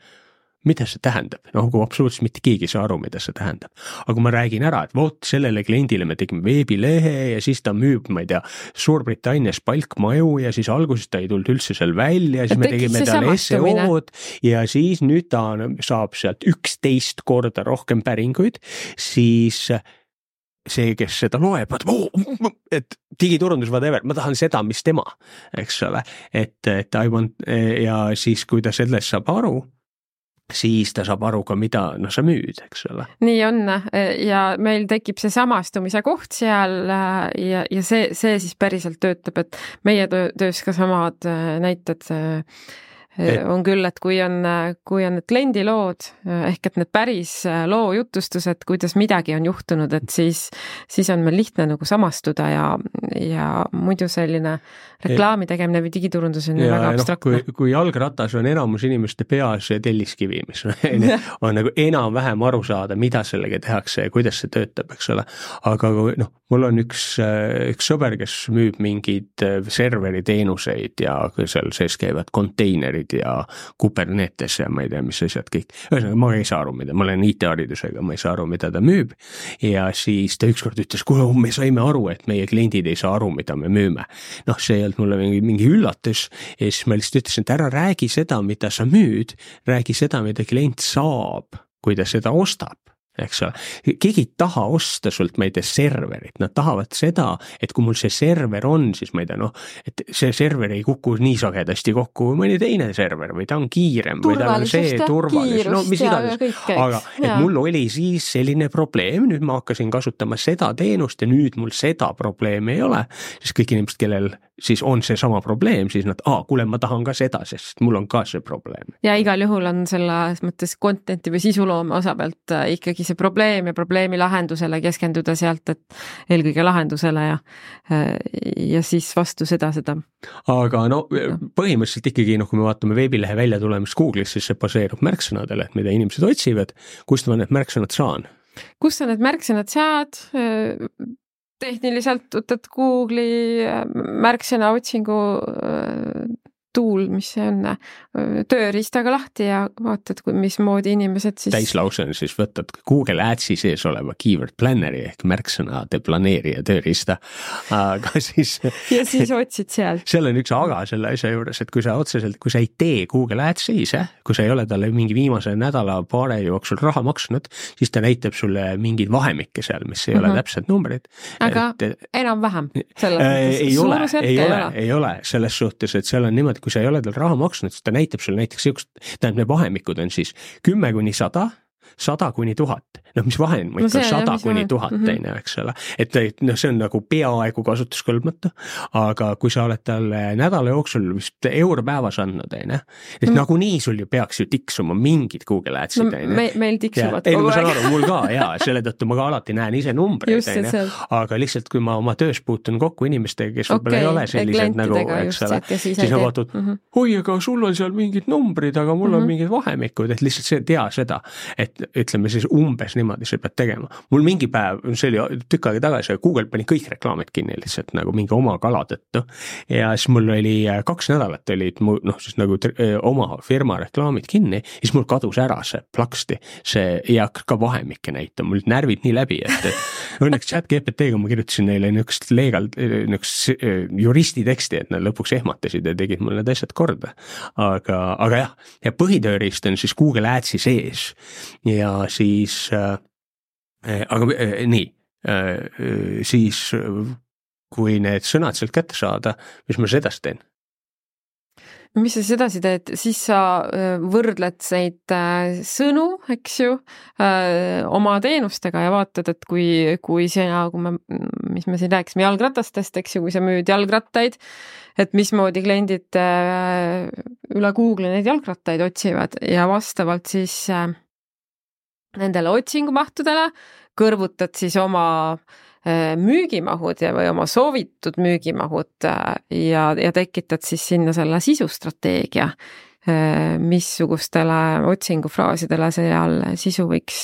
mida see tähendab, noh kui absoluutselt mitte keegi ei saa aru, mida see tähendab. aga kui ma räägin ära, et vot sellele kliendile me tegime veebilehe ja siis ta müüb, ma ei tea, Suurbritannias palkmaju ja siis alguses ta ei tulnud üldse seal välja, siis et me tegime talle S E O-d ja siis nüüd ta saab sealt üksteist korda rohkem päringuid, siis see, kes seda loeb, et digiturundus whatever, ma tahan seda, mis tema, eks ole, et, et I want ja siis, kui ta sellest saab aru, siis ta saab aru ka, mida no, sa müüd, eks ole. Nii on ja meil tekib see samastumise koht seal ja, ja see, see siis päriselt töötab, et meie töös ka samad näited et... on küll, et kui on, kui on need kliendilood ehk et need päris loo jutustused, kuidas midagi on juhtunud, et siis, siis on meil lihtne nagu samastuda ja, ja muidu selline reklaami tegemine või digiturundus on ja, väga abstraktne. Kui, kui jalgratas on enamus inimeste peas telliskivi, mis on, on nagu enam-vähem aru saada, mida sellega tehakse ja kuidas see töötab, eks ole. Aga noh, mul on üks, üks sõber, kes müüb mingeid serveri teenuseid ja seal sees käivad konteinerid ja Kubernetes ja ma ei tea, mis asjad kõik. Ühesõnaga, ma ei saa aru, mida, ma olen I T-haridusega, ma ei saa aru, mida ta müüb. Ja siis ta ükskord ütles, kuule, me saime aru, et meie kliendid ei saa aru, mida me müüme. Noh, see ei olnud mulle mingi, mingi üllatus. Ja siis ma lihtsalt ütlesin, et ära räägi seda, mida sa müüd, räägi seda, mida klient saab, kui ta seda ostab. Eks ole, keegi ei taha osta sult, ma ei tea, serverit, nad tahavad seda, et kui mul see server on, siis ma ei tea, noh, et see server ei kuku nii sagedasti kokku mõni teine server või ta on kiirem või ta on see turvalis, no mis iganes, aga et ja. Mul oli siis selline probleem, nüüd ma hakkasin kasutama seda teenust ja nüüd mul seda probleemi ei ole, siis kõik inimesed, kellel siis on see sama probleem, siis nad, aa, kuule, ma tahan ka seda, sest mul on ka see probleem. Ja igal juhul on selles mõttes contenti või sisuloome osa pealt ikkagi see probleem ja probleemi lahendusele keskenduda sealt, et eelkõige lahendusele ja, ja siis vastu seda, seda. Aga no põhimõtteliselt ikkagi, noh, kui me vaatame veebilehe välja tulemist Google'is, siis see baseerub märksõnadele, et mida inimesed otsivad, kust ma need märksõnad saan? Kust sa need märksõnad saad? Tehniliselt võtad Google'i märksõna otsingu tool, mis see on, tööriistaga lahti ja vaatad, mis moodi inimesed siis... Täislause on siis võtad Google Adsi sees oleva keyword planneri ehk märksõnade planeerija tööriista, aga siis... Ja siis otsid seal. Seal on üks aga selle asja juures, et kui sa otseselt, kui sa ei tee Google Adsi ise, kui sa ei ole talle mingi viimase nädala paare jooksul raha maksnud, siis ta näitab sulle mingid vahemikke seal, mis ei mm-hmm. ole täpselt numbrid. Aga et, enam-vähem? Äh, ei ole, ei ole, ei ole selles suhtes, et seal on niimoodi, kui sa ei ole tal raha maksnud, siis ta näitab sulle näiteks siukest, tähendab, need vahemikud on siis kümme kuni sada, sada kuni tuhat. Noh, mis vahemik on sada kuni tuhat teine, eks ole. Et noh, see on nagu peaaegu kasutuskõlbmatu, aga kui sa oled talle nädala jooksul vist euro päevas andnud, teine, et mm. nagu nii sul ju peaks ju tiksuma mingid Google Adsid, no, teine. Me, meil tiksuvad kogu aeg. Ei, ma saan aru, mul ka, jaa, selle tõttu ma ka alati näen ise numbreid, teine, aga lihtsalt kui ma oma töös puutun kokku inimestega, kes okay, võib-olla ei ole sellised nagu, eks ole, siis ma vaatun, mm-hmm. oi, aga sul on seal mingid numbrid, aga mul mm-hmm. on mingid vahemikud, et lihtsalt see tea seda, et ütleme siis umbes niimoodi see pead tegema. Mul mingi päev, see oli tükk aega tagasi, Google pani kõik reklaamid kinni lihtsalt nagu mingi oma kala tõttu ja siis mul oli kaks nädalat olid mu, noh siis nagu oma firma reklaamid kinni ja siis mul kadus ära see plaksti, see ei hakka ka vahemikke näitama, mul närvid nii läbi, et õnneks chat G P T-ga ma kirjutasin neile niukest legal, niukest juristi teksti, et nad lõpuks ehmatasid ja tegid mul need asjad korda. Aga, aga jah, ja põhitööriist on siis Google Adsi sees ja siis aga nii, siis kui need sõnad sealt kätte saada, mis ma sedasi teen? Mis sa sedasi teed? Siis sa võrdled neid sõnu, eks ju, oma teenustega ja vaatad, et kui, kui sina, kui me, mis me siin rääkisime jalgratastest, eks ju, kui sa müüd jalgrattaid, et mismoodi kliendid üle Google neid jalgrattaid otsivad ja vastavalt siis nendele otsingumahtudele kõrvutad siis oma müügimahud ja, või oma soovitud müügimahud ja, ja tekitad siis sinna selle sisustrateegia missugustele otsingufraasidele seal sisu võiks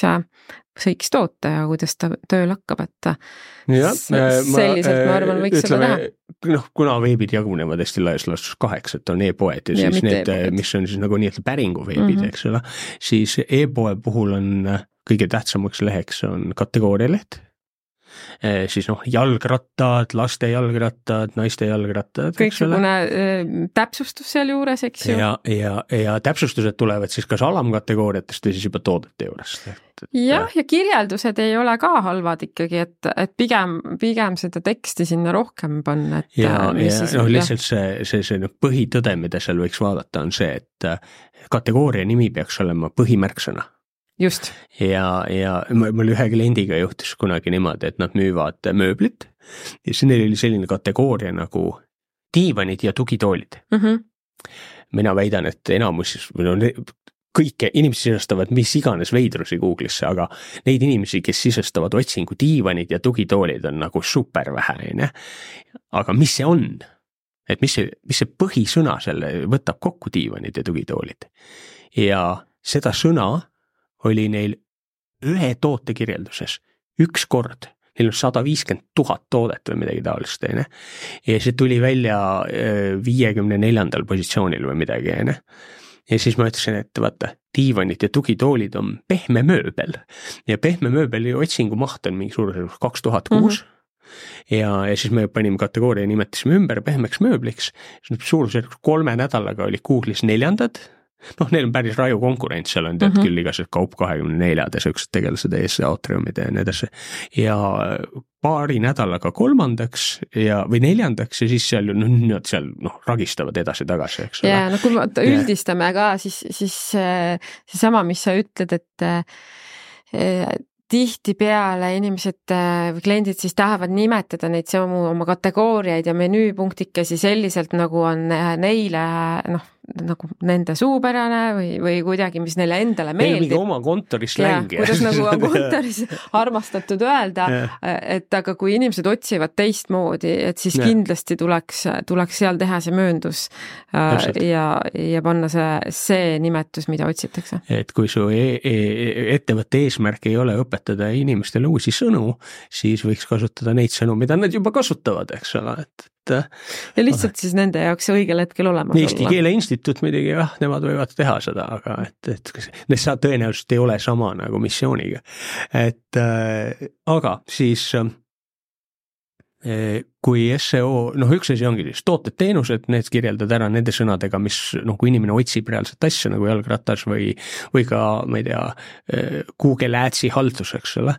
võiks toota ja kuidas ta tööl hakkab, et ja, selliselt ma, ma arvan, võiks ütleme, seda teha. Noh, kuna veebid jagunevad hästi laias laastus kaheks, et on e-poed ja, ja siis need, e-poed. Mis on siis nagu nii, et päringu veebid, mm-hmm. eks ole, siis e-poe puhul on kõige tähtsamaks leheks on kategoorialeht, siis noh, jalgrattad, laste jalgrattad, naiste jalgrattad. Kõiksugune täpsustus seal juures, eks ju? Ja, ja, ja täpsustused tulevad siis kas alamkategooriatest või siis juba toodete juurest. Jah, ja kirjeldused ei ole ka halvad ikkagi, et, et pigem, pigem seda teksti sinna rohkem panna. Et, ja, ja siis, no, lihtsalt see, see, see no, põhitõde, mida seal võiks vaadata, on see, et kategooria nimi peaks olema põhimärksõna. Just. Ja, ja mul ühe kliendiga juhtus kunagi niimoodi, et nad müüvad mööblit ja siis neil oli selline kategooria nagu diivanid ja tugitoolid. Mm-hmm. Mina väidan, et enamus, no, kõike inimesed sisestavad mis iganes veidrusi Google'isse, aga neid inimesi, kes sisestavad otsingu diivanid ja tugitoolid on nagu super vähe. Aga mis see on? Et mis see, mis see põhisõna selle võtab kokku diivanid ja tugitoolid? Ja seda sõna oli neil ühe toote kirjelduses üks kord, neil on sada viiskümmend tuhat toodet või midagi taolist, ne? Ja see tuli välja viiekümne neljandal positsioonil või midagi, ne? Ja siis ma ütlesin, et vaata, diivanid ja tugitoolid on pehme mööbel ja pehme mööbeli otsingu maht on mingi suurusjärgus kaks tuhat kuus mm-hmm. ja, ja siis me panime kategooria ja nimetasime ümber pehmeks mööbliks, suurusjärgus kolme nädalaga oli Google'is neljandad. Noh, neil on päris raju konkurents, seal on tead mm-hmm. küll igased kaup kahekümne neljad ja sööksed tegelased ees Atriumid ja nii edasi. Ja paari nädalaga kolmandaks ja, või neljandaks ja siis seal, no, nad seal noh, ragistavad edasi-tagasi, eks ole. Ja no kui me üldistame ka, siis, siis see sama, mis sa ütled, et äh, tihti peale inimesed või kliendid siis tahavad nimetada neid samu oma kategooriaid ja menüüpunktikesi selliselt, nagu on neile, noh, nagu nende suupärane või, või kuidagi, mis neile endale meeldib. Neil mingi oma kontoris längi. Kuidas nagu on kontoris armastatud öelda, et aga kui inimesed otsivad teistmoodi, et siis ja. Kindlasti tuleks, tuleks seal teha see mööndus ja, ja panna see, see nimetus, mida otsitakse. Et kui su e e ettevõtte eesmärk ei ole õpetada inimestele uusi sõnu, siis võiks kasutada neid sõnu, mida nad juba kasutavad, eks ole, et ja lihtsalt siis nende jaoks õigel hetkel olemas Eesti olla. Keele Instituut midagi, jah, nemad võivad teha seda, aga et, et need sa tõenäoliselt ei ole sama nagu missiooniga. Et äh, aga siis äh, kui S E O, noh üks asi ongi siis tooted, teenused, need kirjeldad ära nende sõnadega, mis, noh kui inimene otsib reaalset asja nagu jalgratas või, või ka, ma ei tea, Google Adsi haldus, eks ole.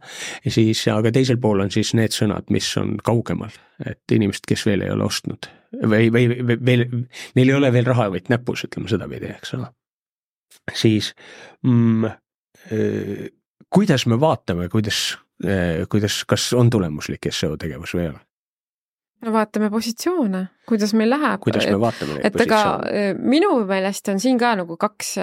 Ja siis, aga teisel pool on siis need sõnad, mis on kaugemal, et inimesed, kes veel ei ole ostnud või, või, või veel, neil ei ole veel raha võit näpus, ütleme seda pidi, eks ole. Siis mm, äh, kuidas me vaatame, kuidas, äh, kuidas, kas on tulemuslik S E O tegevus või ei ole? No vaatame positsioone, kuidas meil läheb. Kuidas me vaatame neid et positsioone? Ega minu meelest on siin ka nagu kaks,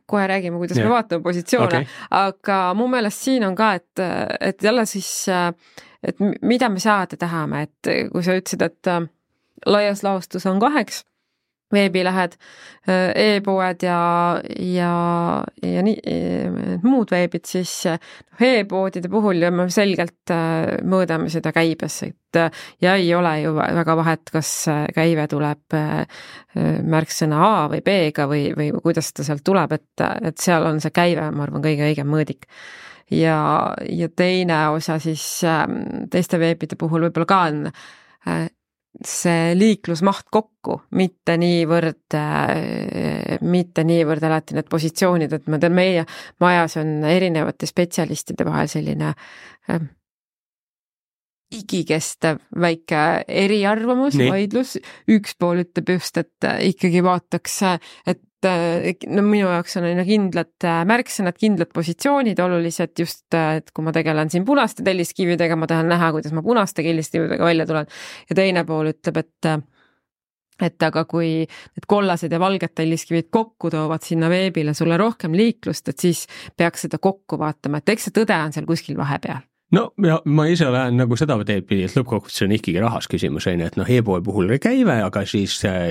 kohe räägime, kuidas ja. Me vaatame positsioone, okay. Aga mu meelest siin on ka, et, et jälle siis, et mida me saada tahame, et kui sa ütlesid, et laias laostus on kaheks, veebilähed, e-poed ja, ja, ja nii, muud veebid, siis e-poodide puhul me selgelt mõõdame seda käibes, et ja ei ole ju väga vahet, kas käive tuleb märksõna A või B-ga või, või kuidas ta sealt tuleb, et, et seal on see käive, ma arvan, kõige õigem mõõdik. Ja, ja teine osa siis teiste veebide puhul võib-olla ka on see liiklusmaht kokku, mitte niivõrd, mitte niivõrd alati need positsioonid, et ma tean, meie majas on erinevate spetsialistide vahel selline äh, igikestev väike eriarvamus, vaidlus. Üks pool ütleb just, et ikkagi vaataks, et no minu jaoks on aina kindlad märksõnad, kindlad positsioonid olulised just, et kui ma tegelen siin punaste telliskividega, ma tahan näha, kuidas ma punaste telliskividega välja tulen. Ja teine pool ütleb, et et aga kui need kollased ja valged telliskivid kokku toovad sinna veebile sulle rohkem liiklust, et siis peaks seda kokku vaatama, et eks see tõde on seal kuskil vahepeal. no ja ma ise olen nagu seda teed pidi, et lõppkokkuvõttes on ikkagi rahas küsimus, on ju, et noh, e-poe puhul käive, aga siis äh,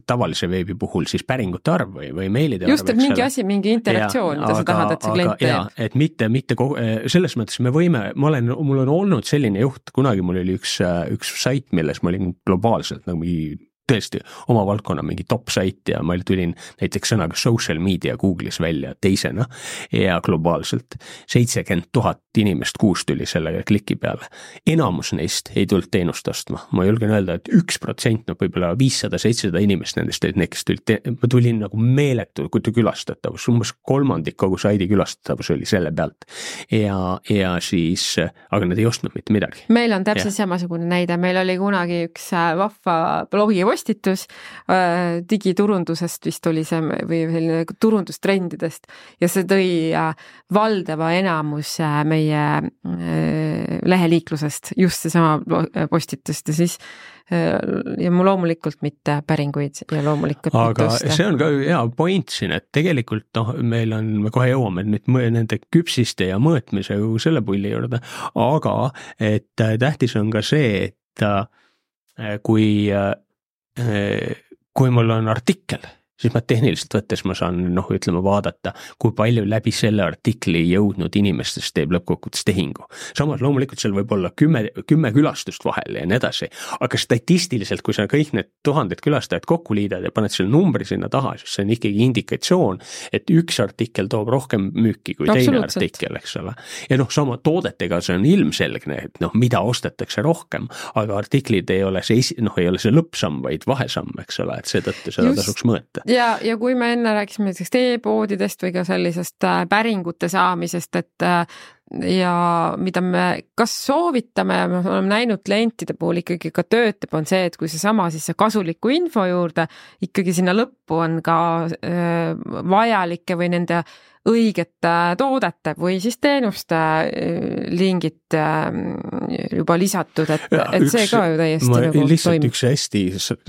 tavalise veebi puhul siis päringute arv või, või meilide just, arv. Just, et mingi asi, mingi interaktsioon, mida sa tahad, et see klient teeb. Et mitte, mitte kogu, selles mõttes me võime, ma olen, mul on olnud selline juht, kunagi mul oli üks, üks sait, milles ma olin globaalselt nagu mingi tõesti oma valdkonna mingi top sait ja ma tulin näiteks sõnaga social media Google'is välja teisena ja globaalselt seitsekümmend tuhat inimest kuus tuli selle kliki peale. Enamus neist ei tulnud teenust ostma. Ma julgen öelda, et üks protsent, no võib-olla viissada seitsesada inimest nendest olid need, kes tulid, ma tulin nagu meeletu külastatavus, umbes kolmandik kogu saidi külastatavus oli selle pealt ja, ja siis, aga nad ei ostnud mitte midagi. Meil on täpselt ja. Samasugune näide, meil oli kunagi üks vahva blogi postitus äh, digiturundusest vist oli see või selline turundustrendidest ja see tõi äh, valdava enamus äh, meie äh, leheliiklusest, just seesama postitust ja siis äh, ja mu loomulikult mitte päringuid ja loomulikult aga see on ka hea point siin, et tegelikult noh, meil on, me kohe jõuame nüüd nende küpsiste ja mõõtmise selle pulli juurde, aga et tähtis on ka see, et äh, kui äh, kui mul on artikkel, siis ma tehniliselt võttes ma saan, noh, ütleme vaadata, kui palju läbi selle artikli jõudnud inimestest teeb lõppkokkuvõttes tehingu. Samas loomulikult seal võib olla kümme, kümme külastust vahel ja nii edasi, aga statistiliselt, kui sa kõik need tuhanded külastajad kokku liidad ja paned selle numbri sinna taha, siis see on ikkagi indikatsioon, et üks artikkel toob rohkem müüki kui teine artikkel, eks ole. Ja noh, sama toodetega see on ilmselgne, et noh, mida ostetakse rohkem, aga artiklid ei ole see, noh, ei ole see lõppsamm, vaid vahesamm, eks ole, et seetõttu seda Just. Tasuks mõõta. Ja, ja kui me enne rääkisime näiteks e-poodidest või ka sellisest päringute saamisest, et ja mida me kas soovitame, me oleme näinud klientide puhul ikkagi ka töötab, on see, et kui see sama siis see kasuliku info juurde, ikkagi sinna lõppu on ka äh, vajalike või nende õigete toodete või siis teenuste lingid juba lisatud, et, ja, et üks, see ka ju täiesti ma, nagu lihtsalt toimib. Üks hästi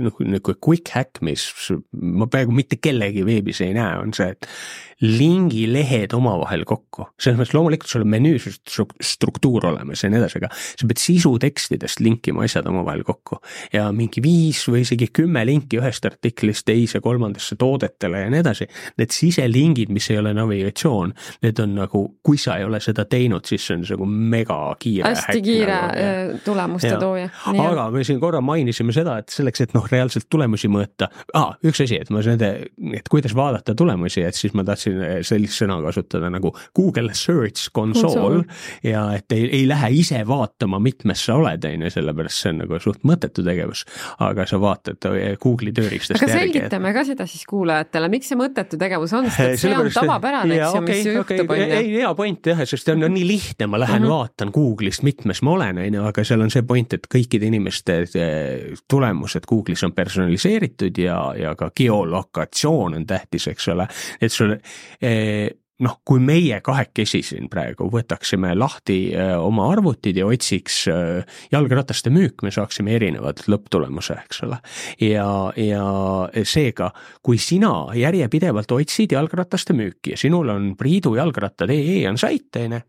nagu quick hack, mis ma praegu mitte kellegi veebis ei näe, on see, et lingi lehed omavahel kokku. Selles mõttes loomulikult sul on menüü struktuur olemas ja nii edasi, aga sa pead sisutekstidest linkima asjad omavahel kokku ja mingi viis või isegi kümme linki ühest artiklist teise kolmandasse toodetele ja nii edasi. Need siselingid, mis ei ole navigatsioon, need on nagu, kui sa ei ole seda teinud, siis see on nagu mega kiire hästi kiire nagu, tulemuste ja. Tooja. Nii aga me siin korra mainisime seda, et selleks, et noh, reaalselt tulemusi mõõta, ah, üks asi, et ma nende, et kuidas vaadata tulemusi, et siis ma tahtsin sellist sõna kasutada nagu Google Search Console ja et ei, ei lähe ise vaatama, mitmes sa oled, eine, sellepärast see on nagu suht mõttetu tegevus, aga sa vaatad Google'i tööriistast järgi. Aga selgitame et... ka seda siis kuulajatele, miks see mõttetu tegevus on, sest see on tavapärane, eks ju, mis okay, juhtub. Okay. Ei, hea point jah, sest on, on nii lihtne, ma lähen mm -hmm. vaatan Google'ist, mitmes ma olen, eine, aga seal on see point, et kõikide inimeste tulemused Google'is on personaliseeritud ja, ja ka geolokatsioon on tähtis, eks ole, et sul noh, kui meie kahekesi siin praegu võtaksime lahti oma arvutid ja otsiks jalgrataste müük, me saaksime erinevad lõpptulemuse, eks ole. Ja, ja seega, kui sina järjepidevalt otsid jalgrataste müüki ja sinul on Priidu jalgrattad ee on saiteine,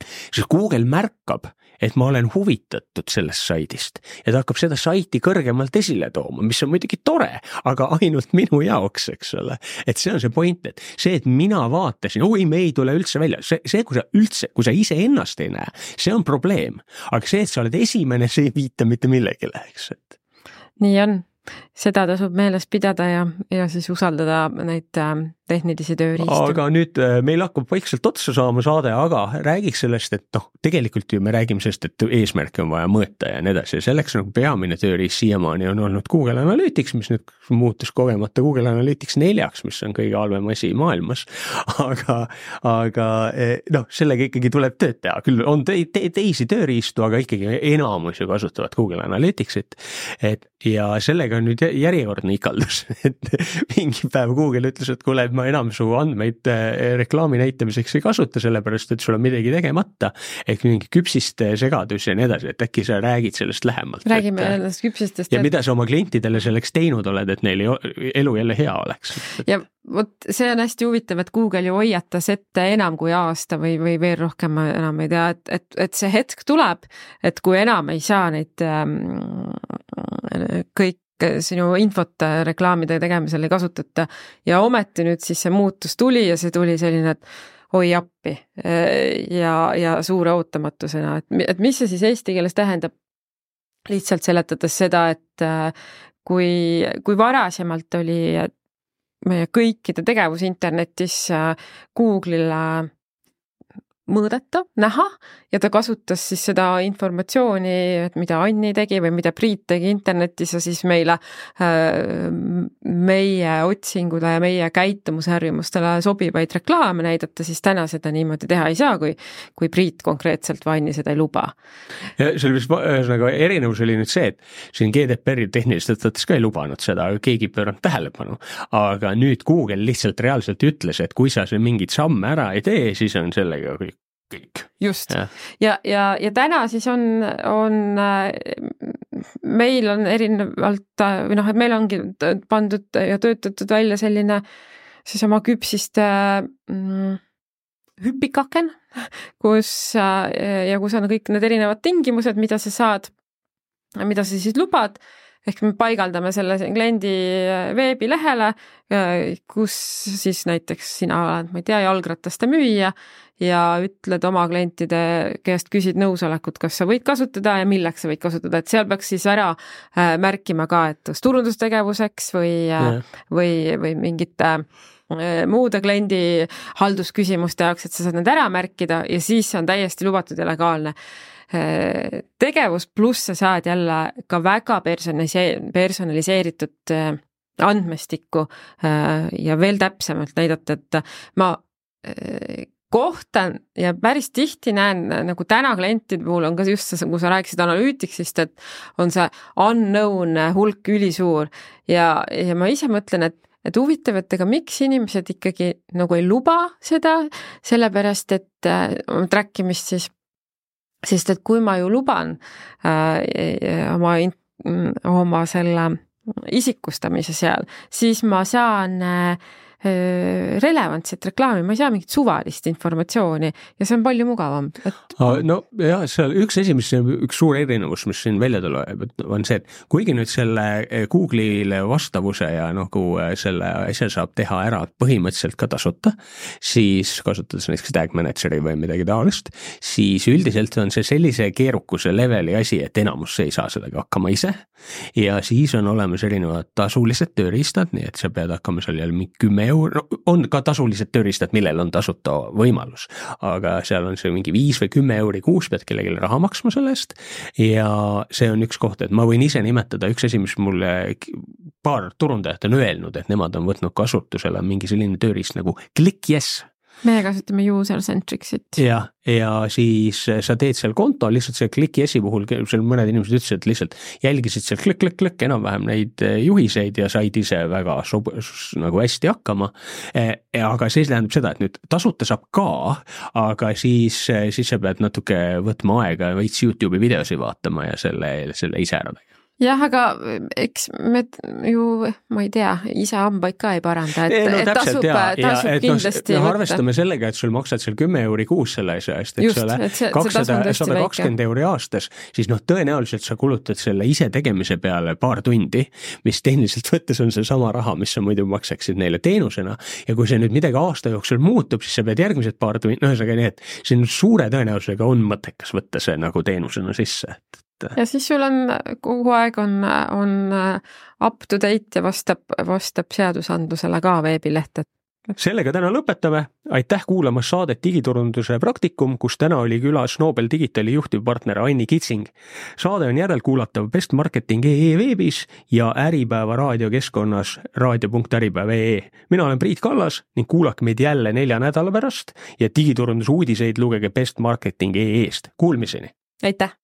siis Google märkab, et ma olen huvitatud sellest saidist ja ta hakkab seda saiti kõrgemalt esile tooma, mis on muidugi tore, aga ainult minu jaoks, eks ole. Et see on see point, et see, et mina vaatasin, oi, me ei tule üldse välja, see, see kui sa üldse, kui sa ise ennast ei näe, see on probleem, aga see, et sa oled esimene, see ei viita mitte millegile, eks. Et. Nii on, seda tasub meeles pidada ja, ja siis usaldada neid tehnilisi tööriistu. Aga nüüd meil hakkab vaikselt otsa saama saade, aga räägiks sellest, et noh, tegelikult ju me räägime sellest, et eesmärke on vaja mõõta ja nii edasi. Selleks nagu peamine tööriist siiamaani on olnud Google Analytics, mis nüüd muutus kogemata Google Analytics neljaks, mis on kõige halvem asi maailmas. Aga, aga noh, sellega ikkagi tuleb tööd teha. Küll on te, te, teisi tööriistu, aga ikkagi enamus ju kasutavad Google Analyticsit. Et, ja sellega on nüüd järjekordne ikaldus, et mingi päev Google ütles, et kuule, ma enam su andmeid reklaami näitamiseks ei kasuta, sellepärast, et sul on midagi tegemata, ehk mingi küpsiste segadus ja nii edasi, et äkki sa räägid sellest lähemalt. Räägime et, ennast küpsistest. Ja et... mida sa oma klientidele selleks teinud oled, et neil elu jälle hea oleks. Ja vot see on hästi huvitav, et Google ju hoiatas ette enam kui aasta või, või veel rohkem, ma enam ei tea, et, et, et see hetk tuleb, et kui enam ei saa neid ähm, kõik sinu infot reklaamide tegemisel ei kasutata ja ometi nüüd siis see muutus tuli ja see tuli selline, et oi appi ja, ja suure ootamatusena, et, et mis see siis eesti keeles tähendab, lihtsalt seletades seda, et kui, kui varasemalt oli meie kõikide tegevus internetis Google'ile mõõdeta, näha ja ta kasutas siis seda informatsiooni, et mida Anni tegi või mida Priit tegi internetis ja siis meile, meie otsingule ja meie käitumusharjumustele sobivaid reklaame näidata, siis täna seda niimoodi teha ei saa, kui, kui Priit konkreetselt või Anni seda ei luba. Ja see oli vist nagu erinevus oli nüüd see, et siin G D P R-i tehniliselt võttes ka ei lubanud seda, aga keegi pööranud tähelepanu, aga nüüd Google lihtsalt reaalselt ütles, et kui sa see mingid samme ära ei tee, siis on sellega kõik. Kõik. Just. Ja, ja, ja, ja täna siis on, on, meil on erinevalt, või noh, et meil ongi pandud ja töötatud välja selline siis oma küpsiste mm, hüpikaken, kus ja kus on kõik need erinevad tingimused, mida sa saad, mida sa siis lubad, ehk me paigaldame selle kliendi veebilehele, kus siis näiteks sina oled, ma ei tea, jalgrattaste müüja ja ütled oma klientide käest, küsid nõusolekut, kas sa võid kasutada ja milleks sa võid kasutada, et seal peaks siis ära märkima ka, et turundustegevuseks või, või, või mingite muude kliendi haldusküsimuste jaoks, et sa saad need ära märkida ja siis on täiesti lubatud ja legaalne. Tegevus pluss sa saad jälle ka väga personaliseeritud andmestikku ja veel täpsemalt näidata, et ma kohtan ja päris tihti näen, nagu täna klientide puhul on ka just see, kui sa rääkisid analüütiksist, et on see unknown hulk ülisuur ja, ja ma ise mõtlen, et et huvitav, et ega miks inimesed ikkagi nagu ei luba seda, sellepärast, et äh, trackimist siis, sest et kui ma ju luban äh, oma, oma selle isikustamise seal, siis ma saan äh, relevantset reklaami, ma ei saa mingit suvalist informatsiooni ja see on palju mugavam. Et... No jah, seal üks esimest, üks suur erinevus, mis siin välja tuleb, on see, et kuigi nüüd selle Google'ile vastavuse ja nagu selle asja saab teha ära põhimõtteliselt ka tasuta, siis kasutades näiteks tag manageri või midagi taolist, siis üldiselt on see sellise keerukuse leveli asi, et enamus ei saa sellega hakkama ise ja siis on olemas erinevad tasulised tööriistad, nii et sa pead hakkama seal jälle mingi kümme euro, on ka tasulised tööriistad, millel on tasuta võimalus, aga seal on see mingi viis või kümme euri kuus, pead kellelegi raha maksma selle eest ja see on üks koht, et ma võin ise nimetada üks asi, mis mulle paar turundajat on öelnud, et nemad on võtnud kasutusele mingi selline tööriist nagu Click Yes. Meie kasutame user-centricsit. Ja, ja siis sa teed seal konto, lihtsalt see Click Yesi puhul, seal mõned inimesed ütlesid, et lihtsalt jälgisid seal klikk, klikk, klikk, enam-vähem neid juhiseid ja said ise väga sob, nagu hästi hakkama. Aga see tähendab seda, et nüüd tasuta saab ka, aga siis, siis sa pead natuke võtma aega ja veits YouTube'i videosi vaatama ja selle, selle ise ära tegema. Jah, aga eks me ju, ma ei tea, ise hambaid ka ei paranda, et, no, et täpselt, tasub, ja, tasub ja, kindlasti no, arvestame sellega, et sul maksad seal kümme euri kuus selle asja eest, et Just, selle et see, kakssada kakskümmend euri aastas, siis noh, tõenäoliselt sa kulutad selle ise tegemise peale paar tundi, mis tehniliselt võttes on see sama raha, mis sa muidu maksaksid neile teenusena ja kui see nüüd midagi aasta jooksul muutub, siis sa pead järgmised paar tundi, no ühesõnaga nii, et siin suure tõenäosusega on mõttekas võtta see nagu teenusena sisse, et ja siis sul on kogu aeg on, on up to date ja vastab, vastab seadusandlusele ka veebileht. Sellega täna lõpetame. Aitäh kuulamas saadet Digiturunduse praktikum, kus täna oli külas Nobel Digitali juhtivpartner Anni Kitsing. Saade on järelkuulatav Best Marketing punkt ee veebis ja Äripäeva raadiokeskkonnas raadio punkt äripäev punkt ee. Mina olen Priit Kallas ning kuulake meid jälle nelja nädala pärast ja digiturunduse uudiseid lugege Best Marketing punkt ee-st. Kuulmiseni! Aitäh!